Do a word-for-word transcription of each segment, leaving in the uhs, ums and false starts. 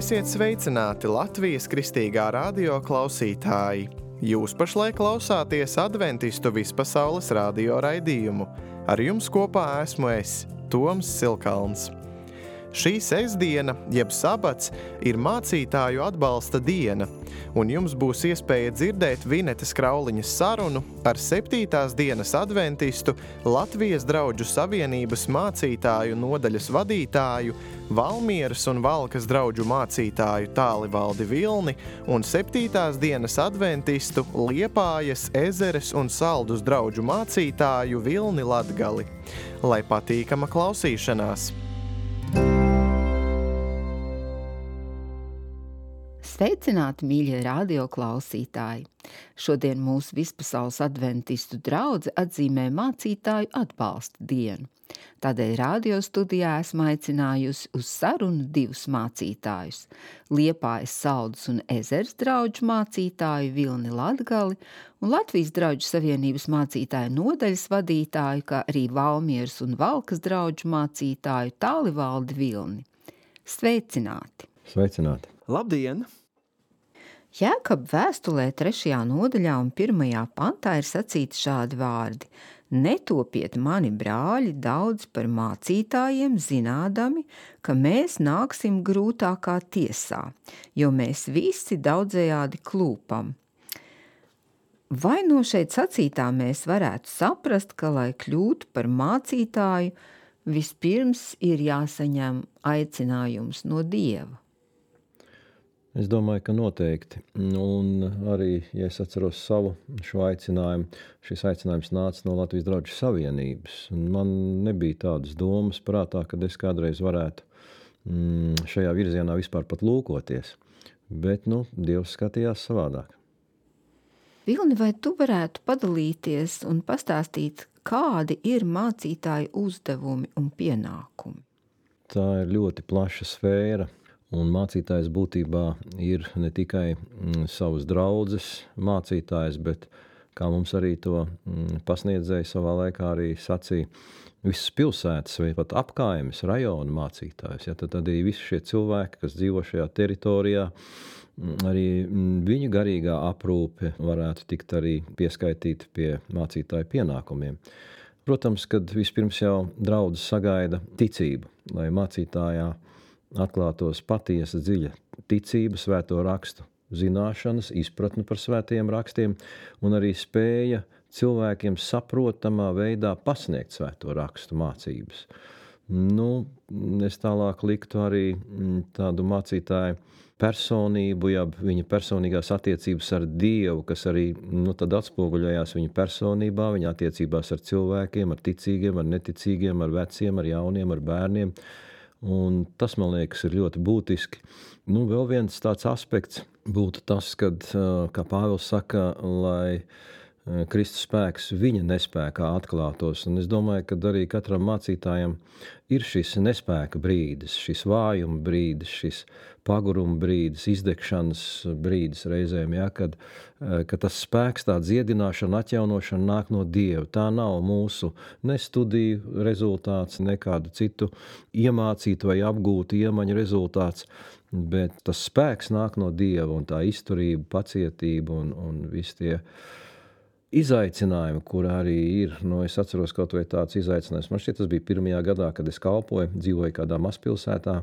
Esiet sveicināti Latvijas Kristīgā radio klausītāji! Jūs pašlaik klausāties Adventistu vispasaules radio raidījumu. Ar jums kopā esmu es, Toms Silkalns. Šī sestdiena, jeb sabats, ir mācītāju atbalsta diena, un jums būs iespēja dzirdēt Vinetes Krauliņas sarunu ar septītās dienas adventistu Latvijas Draudžu Savienības mācītāju nodaļas vadītāju, Valmieras un Valkas draudžu mācītāju Tālivaldi Vilni un septītās dienas adventistu Liepājas, Ezeres un Saldus draudžu mācītāju Vilni Latgali. Lai patīkama klausīšanās! Sveicināti, mīļie radio klausītāji! Šodien mūsu vispasaules adventistu draudze atzīmē mācītāju atbalsta dienu. Tādēļ radio studijā esmu aicinājusi uz sarunu divus mācītājus – Liepājas, Saldus un Ezeres draudžu mācītāju Vilni Latgali un Latvijas Draudžu Savienības mācītāju nodaļas vadītāju, kā arī Valmieras un Valkas draudžu mācītāju Tālivaldi Vilni. Sveicināti! Sveicināti! Labdien! Jēkaba vēstulē trešajā nodaļā un pirmajā pantā ir sacīti šādi vārdi: Netopiet mani brāļi daudz par mācītājiem, zinādami, ka mēs nāksim grūtākā tiesā, jo mēs visi daudzējādi klūpam. Vai no šeit sacītā mēs varētu saprast, ka, lai kļūtu par mācītāju, vispirms ir jāsaņem aicinājums no Dieva? Es domāju, ka noteikti. Un arī, ja es atceros savu šo aicinājumu, šis aicinājums nāca no Latvijas Draudžu Savienības. Un man nebija tādas domas prātā, kad es kādreiz varētu mm, šajā virzienā vispār pat lūkoties. Bet, nu, Dievs skatījās savādāk. Vilni, vai tu varētu padalīties un pastāstīt, kādi ir mācītāju uzdevumi un pienākumi? Tā ir ļoti plaša sfēra. Un mācītājs būtībā ir ne tikai mm, savas draudzes mācītājs, bet, kā mums arī to mm, pasniedzēja savā laikā arī sacīja, visas pilsētas vai pat apkaimes rajona mācītājs. Ja, tad arī visi šie cilvēki, kas dzīvo šajā teritorijā, mm, arī mm, viņu garīgā aprūpe varētu tikt arī pieskaitīta pie mācītāju pienākumiem. Protams, kad vispirms jau draudzes sagaida ticību, lai mācītājā atklātos patiesa dziļa ticība, svēto rakstu zināšanas, izpratne par svētajiem rakstiem un arī spēja cilvēkiem saprotamā veidā pasniegt svēto rakstu mācības. Nu, es tālāk liktu arī tādu mācītāju personību, ja viņa personīgās attiecības ar Dievu, kas arī nu, tad atspoguļojās viņa personībā, viņa attiecībās ar cilvēkiem, ar ticīgiem, ar neticīgiem, ar veciem, ar jauniem, ar bērniem. Un tas, man liekas, ir ļoti būtiski. Nu, vēl viens tāds aspekts būtu tas, kad, kā Pāvils saka, lai Kristus spēks viņa nespēkā atklātos. Un es domāju, ka arī katram mācītājam ir šis nespēka brīdis, šis vājuma brīdis, šis paguruma brīdis, izdegšanas brīdis reizēm, ja, kad, kad tas spēks, tā dziedināšana, atjaunošana nāk no Dieva. Tā nav mūsu ne studiju rezultāts, ne kādu citu iemācītu vai apgūtu iemaņu rezultāts, bet tas spēks nāk no Dieva un tā izturība, pacietība un, un visi tie izaicinājumi, kur arī ir, nu, es atceros kaut vai tāds izaicinājums. Man šķiet, tas bija pirmajā gadā, kad es kalpoju, dzīvoju kādā mazpilsētā,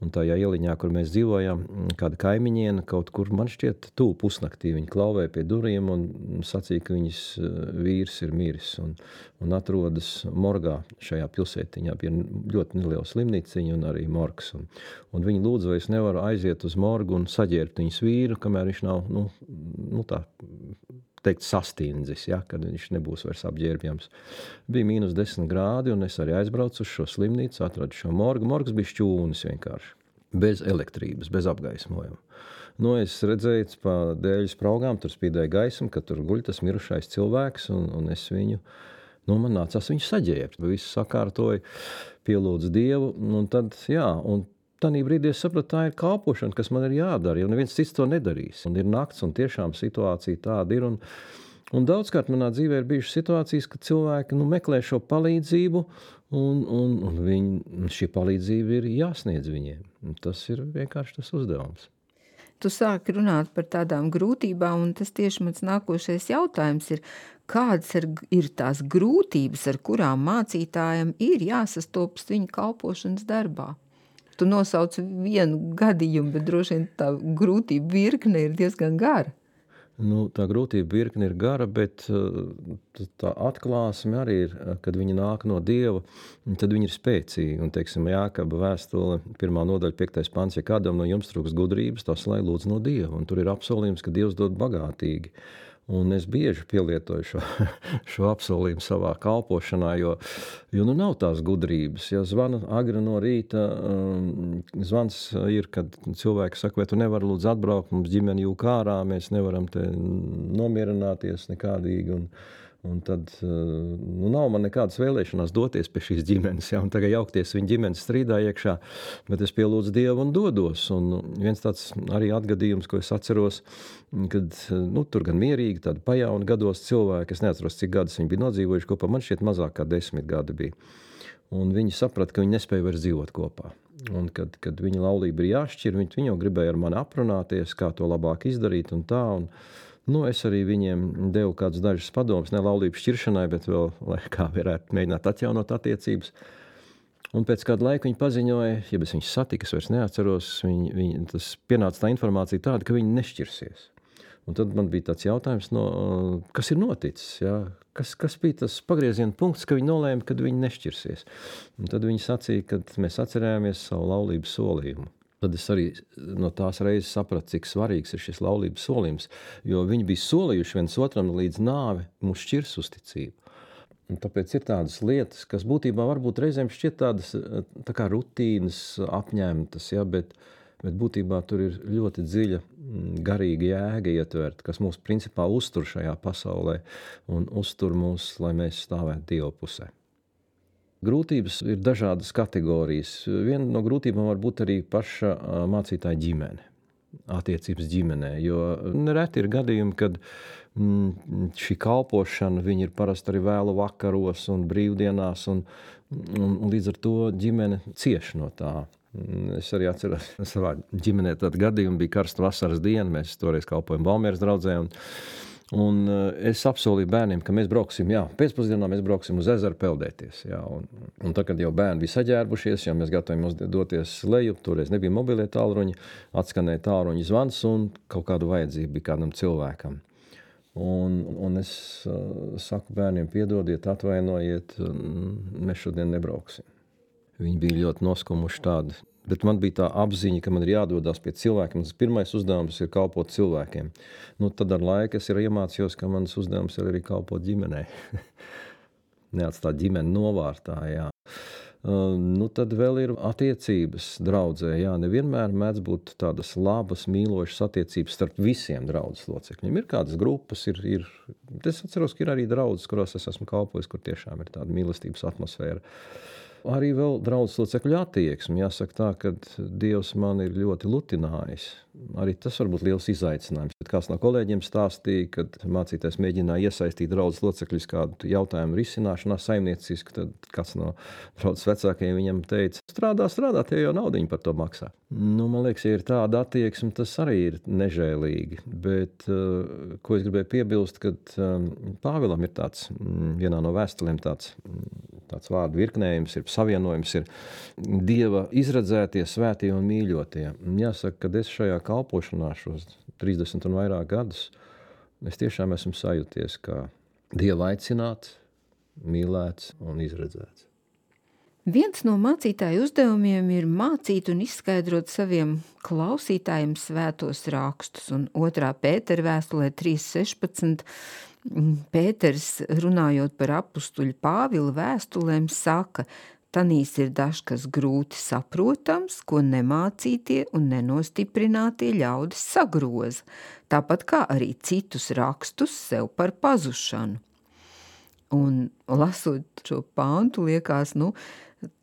un tajā ieliņā, kur mēs dzīvojam, kāda kaimiņiena kaut kur, man šķiet, tuvu pusnaktī viņi klauvēja pie durvīm un sacīja, ka viņas vīrs ir miris un, un atrodas morgā šajā pilsētiņā. Bija ļoti neliela slimnīciņa un arī morgs. Un, un viņi lūdza, vai es nevaru aiziet uz morgu un saģērbt viņas vīru, kamēr viņš nav, nu, nu tā, teikt, sastindzis, ja, kad viņš nebūs vairs apģērbjams. Bija mīnus desmit grādi, un es arī aizbraucu uz šo slimnīcu, atradu šo morgu. Morgs bija šķūnis vienkārši, bez elektrības, bez apgaismojuma. Nu, es redzēju, pa dēļu spraugām, tur spīdēja gaisma, ka tur guļ tas mirušais cilvēks, un, un es viņu, nu, man nācās viņu saģērbt. Visu sakārtoju, pielūdzu Dievu, un tad, jā, un Tanī brīdī es sapratu, tā ir kalpošana, kas man ir jādara, jo neviens cits to nedarīs. Un ir nakts, un tiešām situācija tāda ir. Un, un daudzkārt manā dzīvē ir bijušas situācijas, ka cilvēki nu, meklē šo palīdzību, un, un, un viņi, šī palīdzība ir jāsniedz viņiem. Tas ir vienkārši tas uzdevums. Tu sāki runāt par tādām grūtībām, un tas tieši mans nākošais jautājums ir, kādas ir, ir tās grūtības, ar kurām mācītājiem ir jāsastopas viņa kalpošanas darbā? Tu nosauc vienu gadījumu, bet droši vien tā grūtība virkne ir diezgan gara. Nu, tā grūtība virkne ir gara, bet tā atklāsme arī ir, kad viņi nāk no Dieva, tad viņi ir spēcīgi. Un, teiksim, Jākaba vēstule, pirmā nodaļa, piektais pants, ja kādam no jums trūks gudrības, tas lai lūdz no Dieva. Un tur ir apsolījums, ka Dievs dod bagātīgi. Un es bieži pielietoju šo, šo apsolījumu savā kalpošanā, jo, jo nu nav tās gudrības. Ja zvana agri no rīta, um, zvans ir, kad cilvēki saka, vai tu nevari lūdzu atbraukt, mums ģimeni jūk ārā, mēs nevaram te nomierināties nekādīgi. Un, un tad nu, nav man nekādas vēlēšanās doties pie šīs ģimenes, ja, un tagad jaukties viņa ģimenes strīdā iekšā, bet es pielūdzu Dievu un dodos. Un viens tāds arī atgadījums, ko es atceros, kad nu, tur gan mierīgi, tādi pajauni gados cilvēki, es neatceros, cik gadus viņi bija nodzīvojuši kopā, man šķiet mazāk kā desmit gadi bija. Un viņi saprata, ka viņi nespēja vairs dzīvot kopā. Un kad, kad viņa laulība ir jāšķir, viņi, viņi jau gribēja ar mani aprunāties, kā to labāk izdarīt un tā. Un, nu, es arī viņiem devu kādus dažus padomus, ne laulības šķiršanai, bet vēl, lai kā varētu mēģināt atjaunot attiecības. Un pēc kāda laika viņi paziņoja, ja es viņus satiku, es vairs neatceros, viņi, viņi, tas pienāca tā informācija tāda, ka viņi nešķirsies. Un tad man bija tāds jautājums, no, kas ir noticis, ja? kas, kas bija tas pagrieziena punkts, ka viņi nolēma, kad viņi nešķirsies. Un tad viņi sacīja, kad mēs atcerējāmies savu laulības solījumu. Tad es arī no tās reizes sapratu, cik svarīgs ir šis laulības solījums, jo viņi bija solījuši viens otram līdz nāvi mūs šķirs uzticību. Un tāpēc ir tādas lietas, kas būtībā varbūt reizēm šķiet tādas tā kā rutīnas apņemtas, ja, bet, bet būtībā tur ir ļoti dziļa garīga jēga ietverta, kas mūs principā uztur šajā pasaulē un uztur mūs, lai mēs stāvētu Dieva pusē. Grūtības ir dažādas kategorijas. Viena no grūtībām var būt arī paša mācītāja ģimene, attiecības ģimenē, jo nereti ir gadījumi, kad mm, šī kalpošana, viņi ir parasti arī vēlu vakaros un brīvdienās, un, un, un līdz ar to ģimene cieš no tā. Es arī atceros, savā ģimenē tādu gadījumu bija karsta vasaras diena, mēs toreiz kalpojam Valmieras draudzē, un Un es apsolīju bērniem, ka mēs brauksim, jā, pēcpusdienā mēs brauksim uz ezeru peldēties. Jā, un, un tā, kad jau bērni bija saģērbušies, jau mēs gatavojam doties leju, toreiz nebija mobilie tālruņi, atskanēja tālruņa zvans un kaut kādu vajadzību bija kādam cilvēkam. Un, un es uh, saku bērniem, piedodiet, atvainojiet, mēs šodien nebrauksim. Viņi bija ļoti noskumuši tādi. Bet man bija tā apziņa, ka man ir jādodās pie cilvēkiem. Tas pirmais uzdevums ir kalpot cilvēkiem. Nu, tad ar laiku es ir iemācījos, ka mans uzdevums ir arī kalpot ģimenei. Neatstāt ģimeni novārtā, jā. Uh, nu, tad vēl ir attiecības draudzē. Jā, nevienmēr mēdz būt tādas labas, mīlošas attiecības starp visiem draudzes locekļiem. Ir kādas grupas, ir, ir... Es atceros, ka ir arī draudzes, kurās es esmu kalpojis, kur tiešām ir tāda mīlestības atmosfēra. Arī vēl draudzes locekļu attieksmi. Jāsaka tā, ka Dievs man ir ļoti lutinājis. Arī tas var būt liels izaicinājums. Bet kāds no kolēģiem stāstīja, kad mācītājs mēģināja iesaistīt draudzes locekļus kādu jautājumu risināšanā saimnieciski, tad kāds no draudzes vecākajiem viņam teica, strādā, strādā, tie jau naudiņu par to maksā. Nu, man liekas, ja ir tāda attieksme, tas arī ir nežēlīgi. Bet, uh, ko es gribēju piebilst, kad um, Pāvilam ir tāds, um, vienā no vēstulēm tāds, um, tāds vārdu virknējums, ir savienojums, ir Dieva izredzētie, svētie un mīļotie. Jāsaka, kad es šajā kalpošanā šos trīsdesmit un vairāk gadus, es tiešām esmu sajūties, kā Dieva aicināts, mīlēts un izredzēts. Viens no mācītāju uzdevumiem ir mācīt un izskaidrot saviem klausītājiem svētos rakstus, un otrā Pētera vēstulē trīs sešpadsmit Pēters, runājot par apustuļu Pāvila vēstulēm, saka, tanīs ir dažkas grūti saprotams, ko nemācītie un nenostiprinātie ļaudis sagroza, tāpat kā arī citus rakstus sev par pazušanu. Un lasot šo pāntu, liekas, nu,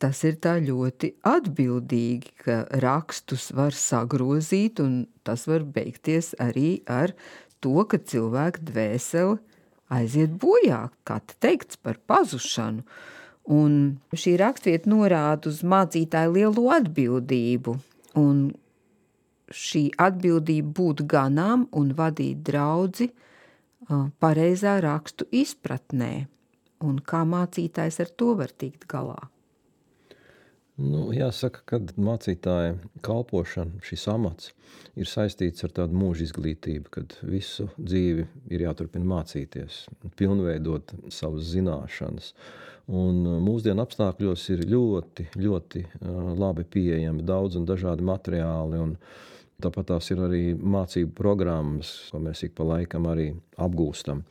tas ir tā ļoti atbildīgi, ka rakstus var sagrozīt, un tas var beigties arī ar to, ka cilvēka dvēsele aiziet bojā, kā te teikts, par pazušanu. Un šī rakstvieta norāda uz mācītāju lielo atbildību un šī atbildība būt ganām un vadīt draudzi pareizā rakstu izpratnē, un kā mācītājs ar to var tikt galā? Nu, jāsaka, ka mācītāja kalpošana, šis amats, ir saistīts ar tādu mūža izglītību, kad visu dzīvi ir jāturpina mācīties, pilnveidot savas zināšanas. Un mūsdienu apstākļos ir ļoti, ļoti labi pieejami daudz un dažādi materiāli, un tāpat tās ir arī mācību programmas, ko mēs ik pa laikam arī apgūstam.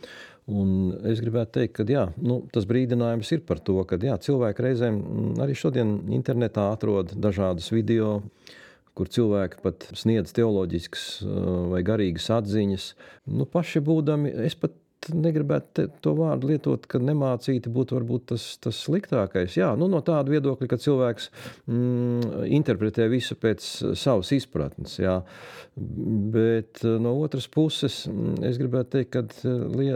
Un es gribētu teikt, ka jā, nu, tas brīdinājums ir par to, ka jā, cilvēki reizēm arī šodien internetā atrod dažādas video, kur cilvēki pat sniedz teoloģiskas vai garīgas atziņas. Nu, paši būdami, es pat negribētu te, to vārdu lietot, ka nemācīti būtu varbūt tas, tas sliktākais. Jā, nu, no tāda viedokļa, ka cilvēks mm, interpretē visu pēc savas izpratnes. Jā. Bet no otras puses, es gribētu teikt, ka lie,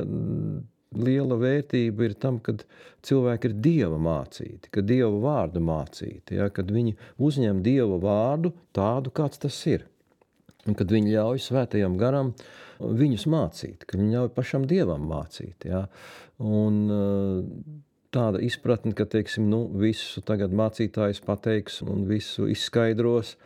liela vērtība ir tam, kad cilvēki ir Dieva mācīti, kad Dieva vārdu mācīti, jā, kad viņi uzņem Dieva vārdu tādu, kāds tas ir. Un kad viņi ļauj svētajam garam viņus mācīt, ka viņi ļauj pašam Dievam mācīt. Ja? Un tāda izpratne, ka, teiksim, nu, visu tagad mācītājs pateiks un visu izskaidros.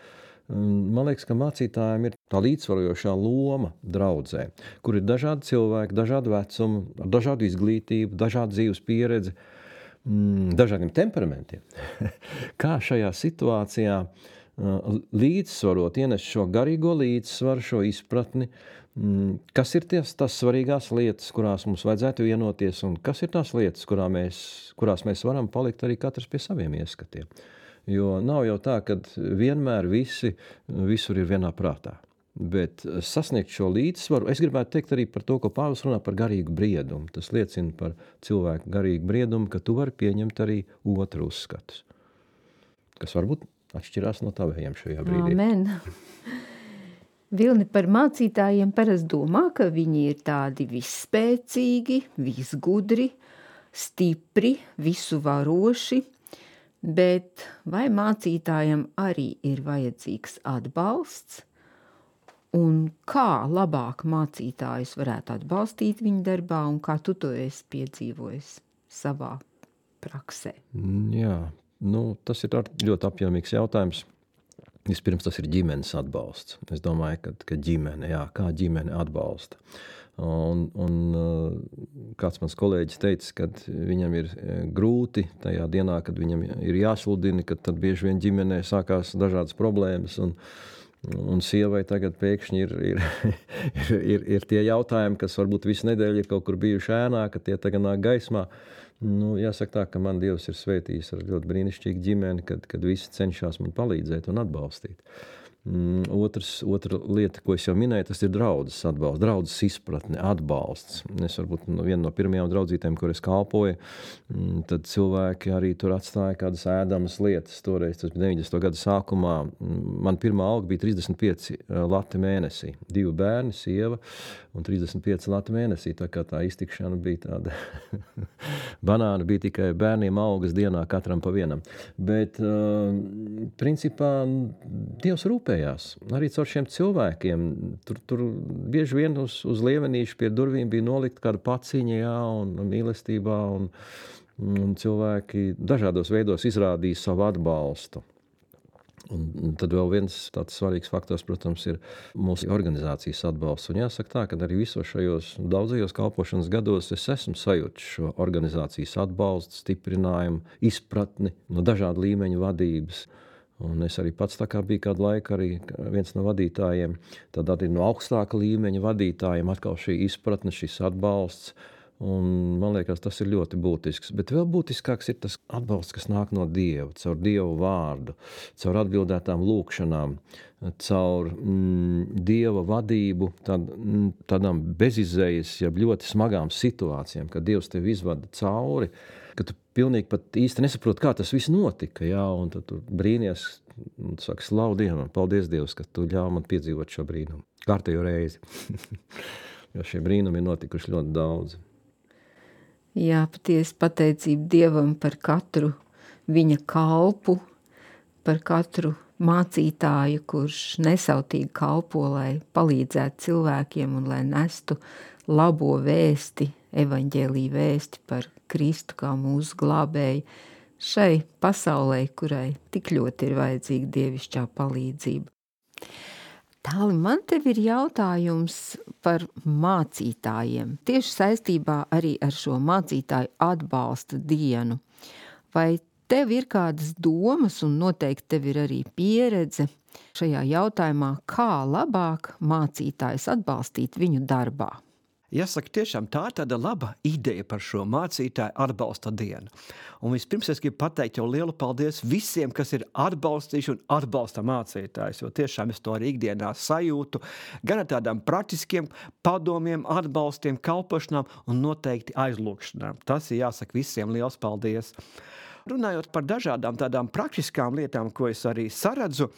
Man liekas, ka mācītājiem ir tā līdzsvarojošā loma draudzē, kur ir dažādi cilvēki, dažādu vecumu, dažādu izglītību, dažādu dzīves pieredzi, dažādiem temperamentiem. Kā šajā situācijā līdzsvarot, ienest šo garīgo līdzsvaru, šo izpratni, kas ir ties, tās svarīgās lietas, kurās mums vajadzētu vienoties, un kas ir tās lietas, kurā mēs, kurās mēs varam palikt arī katrs pie saviem ieskatiem. Jo nav jau tā, ka vienmēr visi visur ir vienā prātā. Bet sasniegt šo līdzsvaru, es gribētu teikt arī par to, ko Pāvils runā par garīgu briedumu. Tas liecina par cilvēku garīgu briedumu, ka tu vari pieņemt arī otru uzskatus, kas varbūt atšķirās no tavējiem šajā brīdī. Amen. Vilni, par mācītājiem parasti domā, ka viņi ir tādi visspēcīgi, visgudri, stipri, visu varoši, bet vai mācītājiem arī ir vajadzīgs atbalsts? Un kā labāk mācītājus varētu atbalstīt viņa darbā, un kā tu to esi piedzīvojis savā praksē? Jā. Nu, tas ir ļoti apjomīgs jautājums. Vispirms tas ir ģimenes atbalsts. Es domāju, ka, ka ģimene, jā, kā ģimene atbalsta. Un, un kāds mans kolēģis teica, ka viņam ir grūti tajā dienā, kad viņam ir jāsludina, kad tad bieži vien ģimenē sākās dažādas problēmas, un, un sievai tagad pēkšņi ir, ir, ir, ir tie jautājumi, kas varbūt visu nedēļu ir kaut kur bijuši ēnā, ka tie tagad nāk gaismā. Nu, jāsaka tā, ka man Dievs ir svētījis ar ļoti brīnišķīgu ģimeni, kad, kad visi cenšas man palīdzēt un atbalstīt. Mm, otrs, otra lieta, ko es jau minēju, tas ir draudzes atbalsts, draudzes izpratne, atbalsts. Es varbūt no viena no pirmajām draudzītēm, kur es kalpoju, mm, tad cilvēki arī tur atstāja kādas ēdamas lietas. Toreiz, tas bija deviņdesmito gadu sākumā, man pirmā alga bija trīsdesmit pieci lati mēnesī. Divi bērni, sieva un trīsdesmit pieci lati mēnesī. Tā kā tā iztikšana bija tāda banāna bija tikai bērniem algas dienā katram pa vienam. Bet uh, principā Dievs rūpē. Arī caur šiem cilvēkiem. Tur, tur bieži vien uz, uz lievenīšu pie durvīm bija nolikt kāda paciņa, jā, un, un mīlestībā, un, un cilvēki dažādos veidos izrādīja savu atbalstu. Un, un tad vēl viens tāds svarīgs faktors, protams, ir mūsu organizācijas atbalsts. Un jāsaka tā, ka arī visos šajos daudzajos kalpošanas gados es esmu sajūtis šo organizācijas atbalstu, stiprinājumu, izpratni no dažādu līmeņu vadības. Un es arī pats tā kā biju kādu laiku arī viens no vadītājiem, tad arī no augstāka līmeņa vadītājiem atkal šī izpratne, šis atbalsts, un man liekas, tas ir ļoti būtisks. Bet vēl būtiskāks ir tas atbalsts, kas nāk no Dieva, caur Dievu vārdu, caur atbildētām lūkšanām, caur mm, Dieva vadību, tād, mm, tādām bezizējas, ja ļoti smagām situācijām, kad Dievs tevi izvada cauri, ka tu pilnīgi pat īsti nesaproti, kā tas viss notika, jā, un tad tu brīnies, un tu saki, slavu Dievam, paldies Dievs, ka tu ļauj man piedzīvot šo brīnumu. Kārtējo reizi. Jo šie brīnumi ir notikuši ļoti daudz. Jā, patiesi pateicība Dievam par katru viņa kalpu, par katru mācītāju, kurš nesautīgi kalpo, lai palīdzētu cilvēkiem un lai nestu labo vēsti, evaņģēlī vēsti par Kristu kā mūsu glābēju šai pasaulē, kurai tik ļoti ir vajadzīga dievišķā palīdzība. Tāli, man tev ir jautājums par mācītājiem, tieši saistībā arī ar šo mācītāju atbalsta dienu. Vai tev ir kādas domas, un noteikti tev ir arī pieredze šajā jautājumā, kā labāk mācītājus atbalstīt viņu darbā? Jāsaka, tiešām tā ir tāda laba ideja par šo mācītāju atbalsta dienu. Un vispirms es gribu pateikt jau lielu paldies visiem, kas ir atbalstījuši un atbalsta mācītājus, jo tiešām es to arī ikdienā sajūtu, gan ar tādām praktiskiem padomiem, atbalstiem, kalpošanām un noteikti aizlūgšanām. Tas ir jāsaka visiem liels paldies. Runājot par dažādām tādām praktiskām lietām, ko es arī saredzu,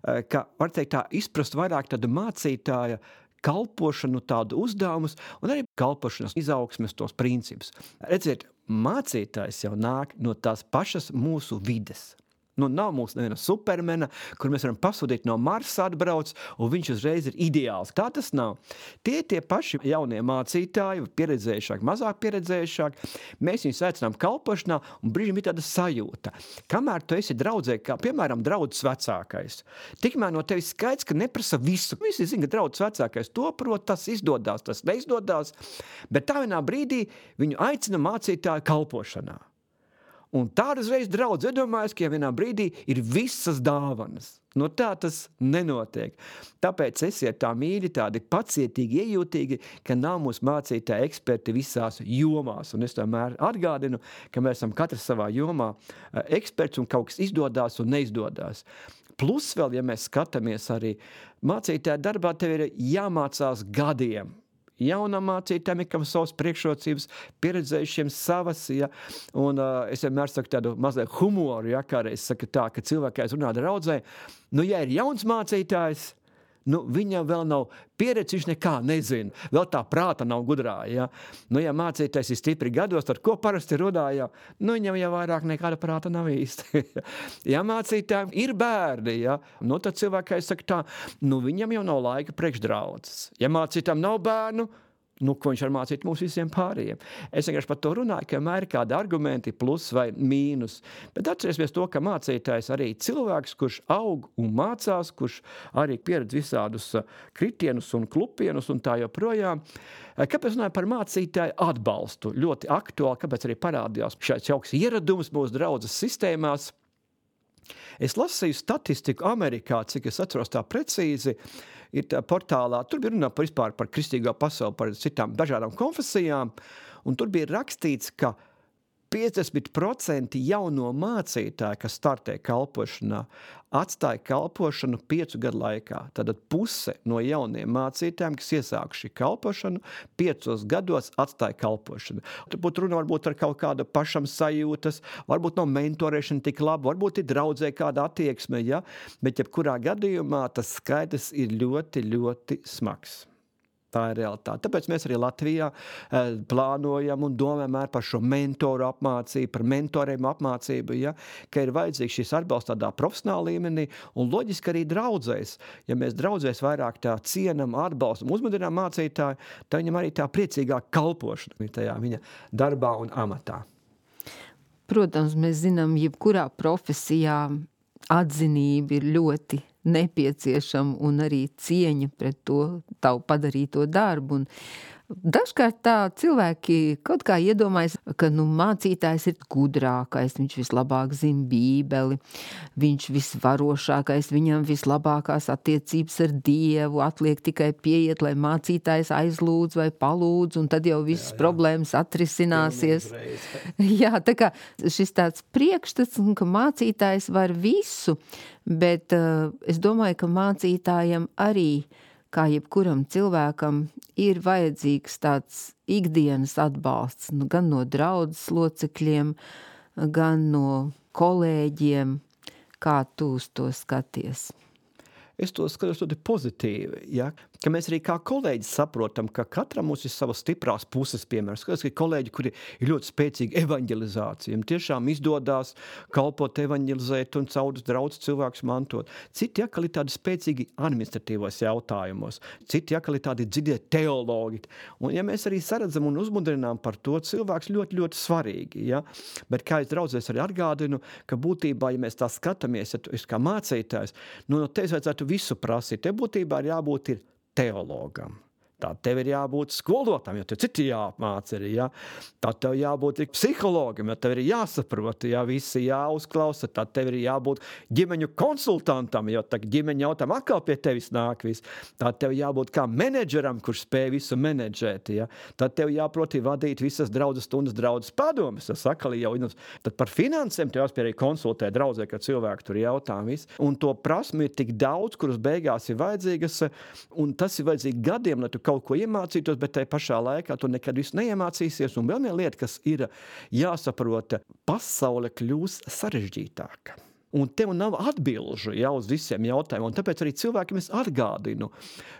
ka, var teikt tā, izprast vairāk tādu mācītāja kalpošanu, tādu uzdevumus un arī kalpošanas izaugsmes tos principus. Redziet, mācītājs jau nāk no tās pašas mūsu vides. Nu, nav mums neviena supermena, kur mēs varam pasūtīt no Marsa atbrauc, un viņš uzreiz ir ideāls. Tā tas nav. Tie tie paši jaunie mācītāji, pieredzējušāk, mazāk pieredzējušāk, mēs viņus aicinām kalpošanā, un brīžiem ir tāda sajūta. Kamēr tu esi draudzē, kā piemēram draudzes vecākais, tikmēr no tevis skaidrs, ka neprasa visu. Visi zina, ka draudzes vecākais to prot, tas izdodās, tas neizdodās, bet tā vienā brīdī viņu aicina mācītāju kalpošanā. Un tāda uzreiz draudz iedomājas, ka vienā brīdī ir visas dāvanas. No tā tas nenotiek. Tāpēc esiet tā mīļi, tādi pacietīgi, iejūtīgi, ka nav mūsu mācītāji eksperti visās jomās. Un es tomēr atgādinu, ka mēs esam katrs savā jomā eksperts un kaut kas izdodās un neizdodās. Plus vēl, ja mēs skatāmies arī mācītāja darbā, tev ir jāmācās gadiem. Jaunam mācītājiem, kam savas priekšrocības, pieredzējušiem savas, ja, un uh, es vienmēr saku tādu mazliet humoru, ja, kādreiz saku tā, ka cilvēkais runā draudzē, nu, ja ir jauns mācītājs, nu, viņam vēl nav pieredze, viņš nekā nezina, vēl tā prāta nav gudrā, ja. Nu, ja mācītājs ir stipri gados, tad ko parasti runā, ja, nu, viņam jau vairāk nekāda prāta nav īsti. Ja mācītājiem ir bērni, ja, nu, tad cilvēkais saka tā, nu, viņam jau nav laika priekšdraudzes. Ja mācītājiem nav bērnu, nu, ko viņš var mācīt mums visiem pārējiem. Es vienkārši par to runāju, ka vienmēr ir kādi argumenti plus vai mīnus. Bet atcerēsimies to, ka mācītājs arī cilvēks, kurš aug un mācās, kurš arī pieredz visādus kritienus un klupienus un tā joprojām. Kāpēc runāju par mācītāju atbalstu? Ļoti aktuāli, kāpēc arī parādījās šāds jauks ieradums mūsu draudzes sistēmās. Es lasīju statistiku Amerikā, cik es atceros tā precīzi, ir tā portālā, tur bija runā par vispār par kristīgo pasauli, par citām dažādām konfesijām, un tur bija rakstīts, ka piecdesmit procenti jauno mācītāju, kas startē kalpošanā, atstāja kalpošanu piecu gadu laikā. Tātad puse no jauniem mācītājiem, kas iesākuši kalpošanu, piecos gados atstāja kalpošanu. Turbūt runa varbūt ar kaut kādu pašam sajūtas, varbūt no mentorēšana tik labi, varbūt ir draudzē kāda attieksme, ja? Bet jebkurā gadījumā tas skaitlis ir ļoti, ļoti smags. Tā ir realitāte. Tāpēc mēs arī Latvijā eh, plānojam un domājam par šo mentoru apmācību, par mentoriem apmācību, ja, ka ir vajadzīgs šis atbalsts tādā profesionālā līmenī un loģiski arī draudzēs. Ja mēs draudzēs vairāk tā cienam, atbalstam, uzmudinām mācītāju, tad viņam arī tā priecīgāk kalpošana tajā viņa darbā un amatā. Protams, mēs zinām, jebkurā profesijā atzinība ir ļoti nepieciešama un arī cieņa pret to tavu padarīto darbu. Un dažkārt tā cilvēki kaut kā iedomājas, ka nu, mācītājs ir gudrākais, viņš vislabāk zina bībeli, viņš visvarošākais, viņam vislabākās attiecības ar Dievu, atliek tikai pieiet, lai mācītājs aizlūdz vai palūdz, un tad jau visas jā, jā. problēmas atrisināsies. Jā, tā kā šis tāds priekšstats, ka mācītājs var visu, bet uh, es domāju, ka mācītājam arī kā jebkuram cilvēkam ir vajadzīgs tāds ikdienas atbalsts, nu, gan no draudzes locekļiem, gan no kolēģiem, kā tu uz to skaties. Es to skatos ļoti pozitīvi, ja? ka mēs arī kā kolēģi saprotam, ka katram mums ir savas stiprās puses, piemēram. Skaties, ka kolēģi, kuri ir ļoti spēcīgi evaņģelizācija, tiešām izdodās kalpot, evaņģelizēt un caudus draudz cilvēkus mantot. Citi atkal ir tādi spēcīgi administratīvos jautājumos, citi atkal ir tādi dziļie teologi. Un ja mēs arī saredzam un uzmudrinām par to, cilvēks ļoti, ļoti svarīgi, ja? Bet kā es draudzēs arī atgādinu, ka būtībā, ja mēs tā skatāmies, ja tu esi kā mācītājs, nu, no tevis vajadzētu visu prasīt. Te būtībā ir jābūt ir teologam. Tā tev ir jābūt skolotājam, jo tev citi jāapmāca arī, ja? Tā tev jābūt psihologam, jo tev ir jāsaprot, ja visi jāuzklausa, tā tev ir jābūt ģimeņu konsultantam, jo tā ģimeņa jautājuma atkal pie tevis nāk viss. Tā tev jābūt kā menedžeram, kurš spēj visu menedžēt, ja? Tā tev jāproti vadīt visas draudzes stundas draudzes padomes, tas atkal jau, tad par finansēm tev jāspēj arī konsultēt draudzē, kad cilvēki tur jautā viss. Un to prasmi ir tik daudz, kuras beigās ir vajadzīgas, un tas ir vajadzīgi gadiem, lai tu kaut ko iemācītos, bet tai pašā laikā tu nekad visu neiemācīsies. Un vēl viena lieta, kas ir jāsaprota, pasaule kļūs sarežģītāka. Un tev nav atbilžu jau uz visiem jautājumiem. Un tāpēc arī cilvēkiem es atgādinu,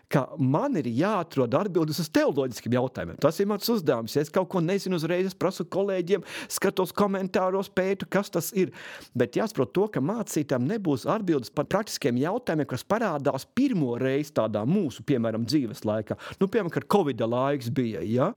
ka man ir jāatrod atbildes uz teoloģiskiem jautājumiem. Tas ir mans uzdevums. Ja es kaut ko nezinu uzreiz, es prasu kolēģiem, skatos komentāros, pētu, kas tas ir. Bet jāsaprot to, ka mācītājiem nebūs atbildes par praktiskiem jautājumiem, kas parādās pirmo reizi tādā mūsu, piemēram, dzīves laikā. Nu, piemēram, kad Covida laiks bija, ja?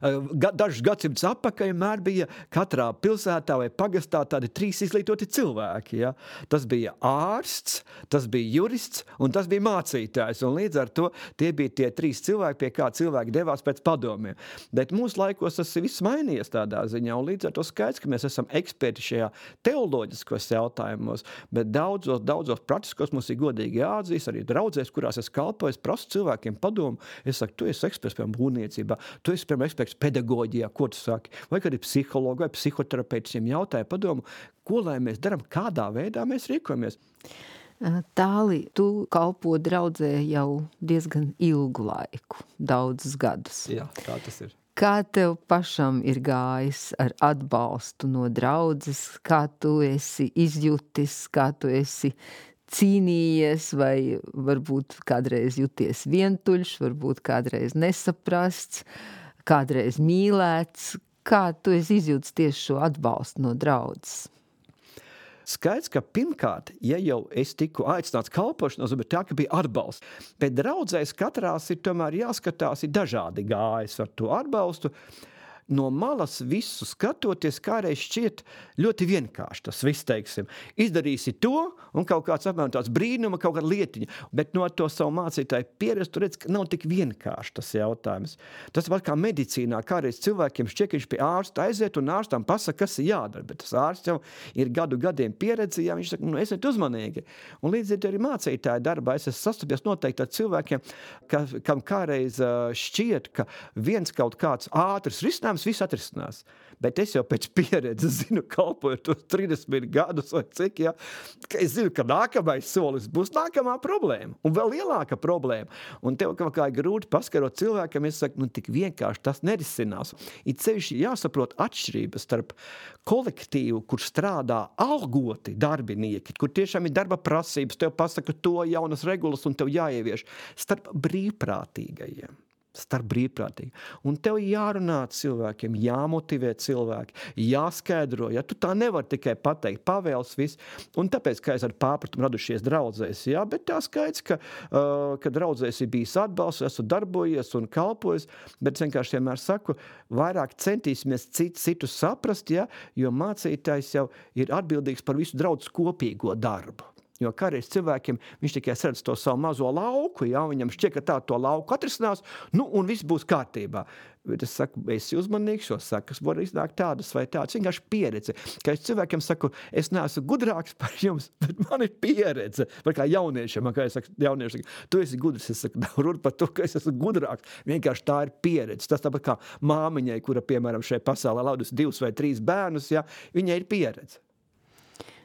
Dažus gadsimtus atpakaļ vienmēr bija katrā pilsētā vai pagastā tādi trīs izglītoti cilvēki. Ja? Tas bija ārsts, tas bija jurists un tas bija mācītājs. Un līdz ar to tie bija tie trīs cilvēki, pie kā cilvēki devās pēc padomiem. Bet mūsu laikos tas viss mainījies tādā ziņā. Un līdz ar to skaidrs, ka mēs esam eksperti šajā teoloģiskos jautājumos, bet daudzos, daudzos praktiskos mums ir godīgi jāatzīst, arī draudzēs, kurās es kalpoju, es prasu cilvēkiem padomu. Es saku, tu esi eksperts, piemēram, būvniecībā, tu esi, piemēram, eksperts pedagoģijā, ko tu saki, vai kad ir psihologi vai psihoterapeitiem jautāja padomu, ko lai mēs darām, kādā veidā mēs rīkojamies. Tāli, tu kalpo draudzē jau diezgan ilgu laiku, daudzus gadus. Jā, tā tas ir. Kā tev pašam ir gājis ar atbalstu no draudzes, kā tu esi izjutis, kā tu esi cīnījies, vai varbūt kādreiz juties vientuļš, varbūt kādreiz nesaprasts, kādreiz mīlēts, kā tu esi izjūtis tieši šo atbalstu no draudzes? Skaidrs, ka pirmkārt, ja jau es tiku aicināts kalpošanos, bet tā, ka bija atbalsts. Bet draudzēs katrās ir tomēr jāskatās, ir dažādi gājas ar to atbalstu. No malas visu skatoties, kādreiz šķiet ļoti vienkārši tas viss, teiksim. Izdarīsi to, un kaut kāds apmēram tāds brīnuma, kaut kāda lietiņa. Bet no to savu mācītāju pieredzi, tu redz, ka nav tik vienkārši tas jautājums. Tas var kā medicīnā, kādreiz cilvēkiem šķiet, ka viņš pie ārsta aiziet un ārstam pasaka, kas ir jādara. Bet tas ārsts jau ir gadu gadiem pieredzi, ja viņš saka, nu, esiet uzmanīgi. Un līdz ar to arī mācītāju darbā es esmu sastapies noteikti ar cilvēkiem, ka, kam kādreiz šķiet, ka viens kaut kāds ātrs risinājums viss atrisinās. Bet es jau pēc pieredzes zinu, kalpojot tos trīsdesmit gadus vai cik, ja, ka es zinu, ka nākamais solis būs nākamā problēma. Un vēl lielāka problēma. Un tev kaut kā grūti paskarot cilvēkam, es saku, nu tik vienkārši tas nerisinās. Ir sevišķi jāsaprot atšķirības starp kolektīvu, kur strādā algoti darbinieki, kur tiešām ir darba prasības, tev pasaka to jaunas regulas un tev jāievieš, starp brīvprātīgajiem. starp brīvprātīgi. Un tev jārunā cilvēkiem, jāmotivē cilvēki, jāskaidro, ja tu tā nevar tikai pateikt, pavēls viss. Un tāpēc, ka es ar pārpratumu radušies draudzēs, jā, bet tā skaidrs, ka, uh, ka draudzēs ir bijis atbalsts, esmu darbojies un kalpojis, bet vienkārši vienmēr saku, vairāk centīsimies citu, citu saprast, ja, jo mācītājs jau ir atbildīgs par visu draudzes kopīgo darbu. Jo kādreiz cilvēkiem viņš tikai redz to savu mazo lauku, ja, viņam šķiet, ka tā to lauku atrisinās, nu, un viss būs kārtībā. Bet es saku, esi uzmanīgs, jo sakas var iznākt tādas vai tādas, vienkārši pieredze. Kā es cilvēkiem saku, es neesmu gudrāks par jums, bet man ir pieredze. Vai kā jauniešiem, kā es saku, jaunieši saka, tu esi gudrs, es saku, nav runa par to, ka es esmu gudrāks. Vienkārši tā ir pieredze. Tas tāpat kā māmiņai, kura, piemēram, šai pasaulē laudus divus vai trīs bērnus, ja, viņai ir pieredze.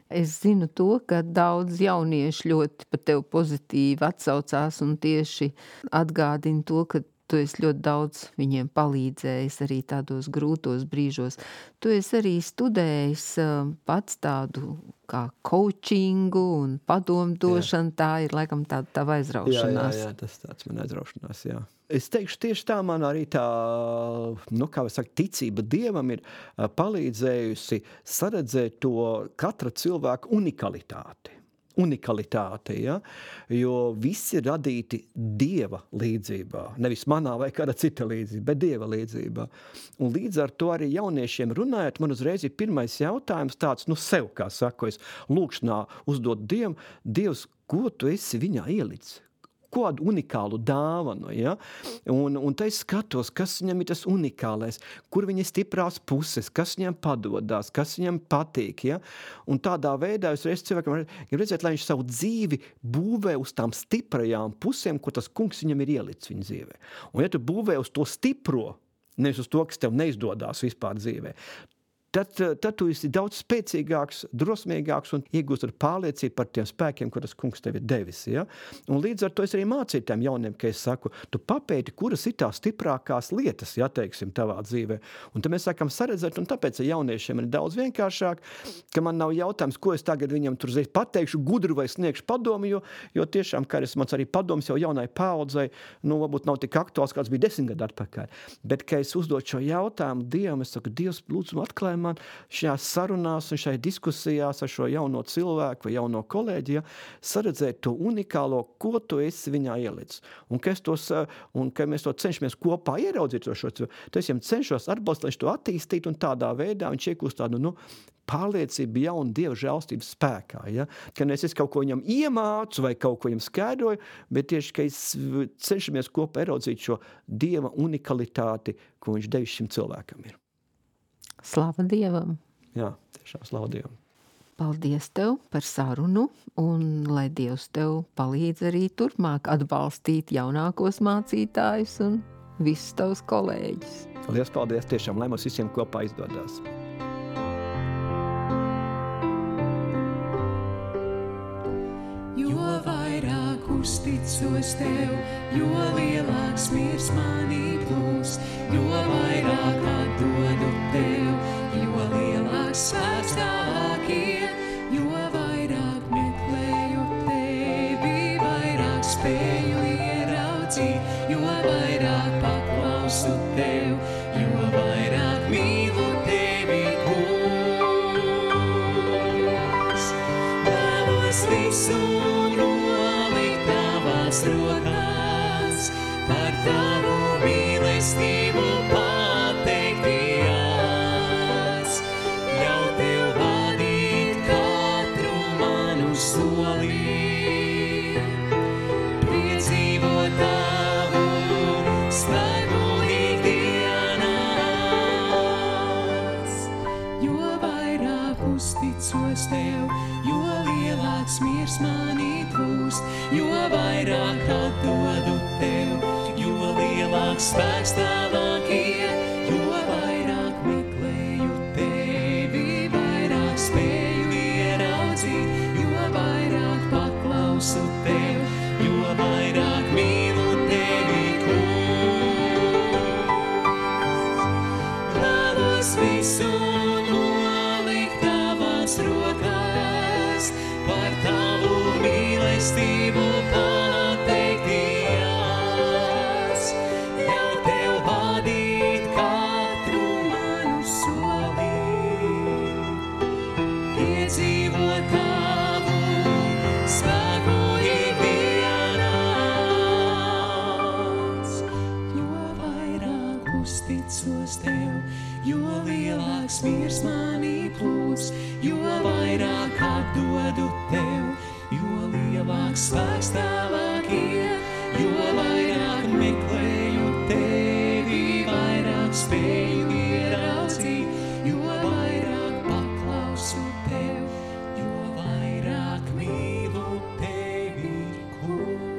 Es zinu to, ka daudz jaunieši ļoti par tevi pozitīvi atsaucās un tieši atgādina to, ka tu esi ļoti daudz viņiem palīdzējis arī tādos grūtos brīžos. Tu esi arī studējis pats tādu kā coachingu un padomdošanu, tā ir laikam tāda tava aizraušanās. Jā, jā, jā, tas tāds man aizraušanās, jā. Es teikšu, tieši tā man arī tā, nu, kā var saka, ticība Dievam ir palīdzējusi saredzēt to katra cilvēka unikalitāti. Unikalitāte, ja? Jo visi ir radīti Dieva līdzībā, nevis manā vai kāda cita līdzībā, bet Dieva līdzībā. Un līdz ar to arī jauniešiem runājot, man uzreiz ir pirmais jautājums tāds, nu sev, kā saku, es lūkšanā uzdot Dievam, Dievs, ko tu esi viņā ielicis? Kādu unikālu dāvanu, ja? Un, un tā es skatos, kas viņam ir tas unikālais, kur viņa stiprās puses, kas viņam padodās, kas viņam patīk, ja? Un tādā veidā es reiz cilvēkam gribu redzēt, lai viņš savu dzīvi būvē uz tām stiprajām pusēm, ko tas kungs viņam ir ielicis viņa dzīvē. Un ja tu būvē uz to stipro, nevis uz to, kas tev neizdodās vispār dzīvē, Tad, tad tu esi daudz spēcīgāks, drosmīgāks un iegūst ar pārliecību par tiem spēkiem, ko tas kungs tev ir devis. Ja? Un līdz ar to es arī mācīju tiem jauniem, ka es saku, tu papēti, kuras ir tās stiprākās lietas, ja, teiksim, tavā dzīvē. Un tad mēs sākam saredzēt, un tāpēc ar jauniešiem ir daudz vienkāršāk, ka man nav jautājums, ko es tagad viņam tur reiz pateikšu, gudru vai sniegšu padomu, jo, jo tiešām, kā es mans arī padoms jau jaunai paaudzei, nu, varbūt nav tik aktuāls, kāds bija desmit gadu atpakaļ. Bet, ka es uzdot šo jautājumu Dievam, es saku, Dievs, lūdzu, atklāj man šajās sarunās un šai diskusijās ar šo jauno cilvēku vai jauno kolēģi, ja, saredzēt to unikālo, ko tu esi viņā ielicis. Un ka, tos, un ka mēs to cenšamies kopā ieraudzīt, šo, to es viņam cenšos atbalstīt, lai viņš to attīstītu, un tādā veidā viņš iegūst tādu, nu, pārliecība jauna Dieva žēlstības spēkā. Ja? Ka ne es kaut ko viņam iemācu vai kaut ko viņam skaidroju, bet tieši, ka es cenšamies kopā ieraudzīt šo Dieva unikalitāti, ko viņš devis šim cilvēkam ir. Slava Dievam! Jā, tiešām slava Dievam! Paldies tev par sarunu, un lai Dievs tev palīdz arī turpmāk atbalstīt jaunākos mācītājus un visus tavus kolēģus. Paldies, paldies! Tiešām, lai mums visiem kopā izdodās! Jo vairāk uzticos tev, jo lielāks miers manī plūst, jo vairāk atdodu tev, jo lielāks spēks tavāk ir, jo vairāk meklēju tevi, vairāk spēju ieraudzīt, jo vairāk paklausu tev, jo vairāk mīlu tevi, kungs. Vēlos visu rokās, par tavu mīlestību pateikties, jau tev vadīt katru manu soli, piedzīvot tavu spēku ikdienās, jo vairāk uzticos tev, jo lielāks miers manī plūst, jo vairāk atdodu tev, jo lielāks spēks tavāk ir, jo vairāk meklēju tevi, vairāk spēju ieraudzīt, jo vairāk paklausu tev, jo vairāk mīlu tevi, kungs. Vēlos visu nolikt tavās rokās, par tavu mīlestību pateikties, jau tev vadīt katru manu soli, piedzīvot tavu spēku ikdienās, jo vairāk uzticos tev, jo lielāks miers manī plūst, jo vairāk atdodu tev, jo lielāks spēks tavāk ir, jo vairāk meklēju tevi, vairāk spēju ieraudzīt, jo vairāk paklausu tev, jo vairāk mīlu tevi, kungs.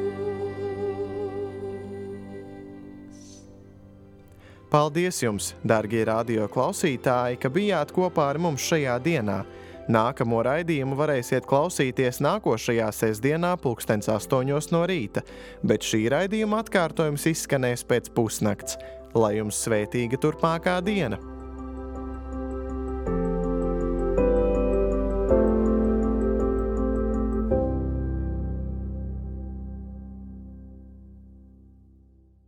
Paldies jums, dārgie radio klausītāji, ka bijāt kopā ar mums šajā dienā. Nākamo raidījumu varēsiet klausīties nākošajā sestdienā pulkstens astoņos no rīta, bet šī raidījuma atkārtojums izskanēs pēc pusnakts. Lai jums svētīga turpmākā diena!